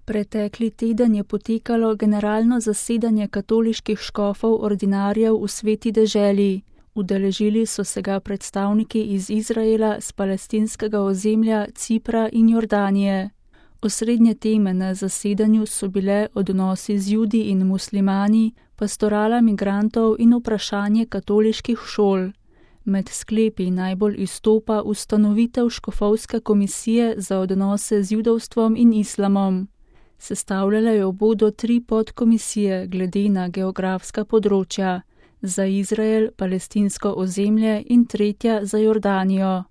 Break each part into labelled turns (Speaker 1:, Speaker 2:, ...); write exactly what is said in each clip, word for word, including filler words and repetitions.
Speaker 1: Pretekli teden je potekalo generalno zasedanje katoliških škofov ordinarjev v Sveti deželi. Udeležili so se ga predstavniki iz Izraela, s palestinskega ozemlja, Cipra in Jordanije. Osrednje teme na zasedanju so bile odnosi z Judi in muslimani, pastorala migrantov in vprašanje katoliških šol. Med sklepi najbolj izstopa ustanovitev škofovske komisije za odnose z judovstvom in islamom. Sestavljale jo bodo tri podkomisije glede na geografska področja, za Izrael, palestinsko ozemlje in tretja za Jordanijo.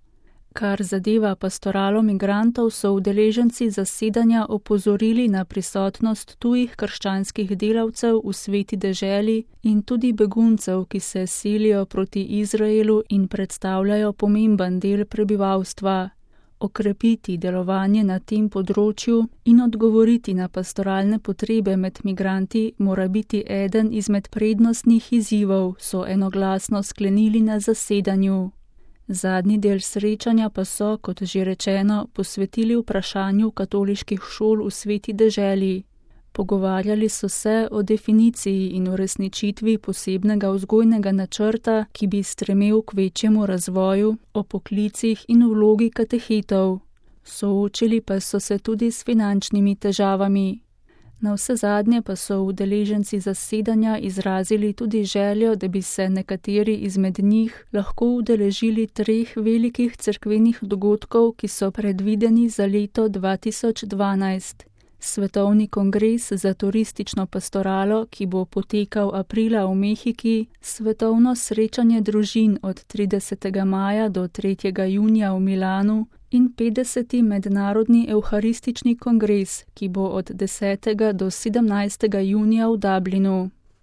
Speaker 1: Kar zadeva pastoralo migrantov, so udeleženci zasedanja opozorili na prisotnost tujih krščanskih delavcev v Sveti deželi in tudi beguncev, ki se selijo proti Izraelu in predstavljajo pomemben del prebivalstva. Okrepiti delovanje na tem področju in odgovoriti na pastoralne potrebe med migranti mora biti eden izmed prednostnih izzivov, so enoglasno sklenili na zasedanju. Zadnji del srečanja pa so, kot že rečeno, posvetili vprašanju katoliških šol v Sveti deželi. Pogovarjali so se o definiciji in uresničitvi posebnega vzgojnega načrta, ki bi stremel k večjemu razvoju, o poklicih in vlogi katehetov. Soočili pa so se tudi s finančnimi težavami. Navsezadnje pa so udeleženci zasedanja izrazili tudi željo, da bi se nekateri izmed njih lahko udeležili treh velikih cerkvenih dogodkov, ki so predvideni za leto dva tisoč dvanajst. Svetovni kongres za turistično pastoralo, ki bo potekal aprila v Mehiki, svetovno srečanje družin od tridesetega maja do tretjega junija v Milanu in petdeseti mednarodni evharistični kongres, ki bo od desetega do sedemnajstega junija v Dublinu.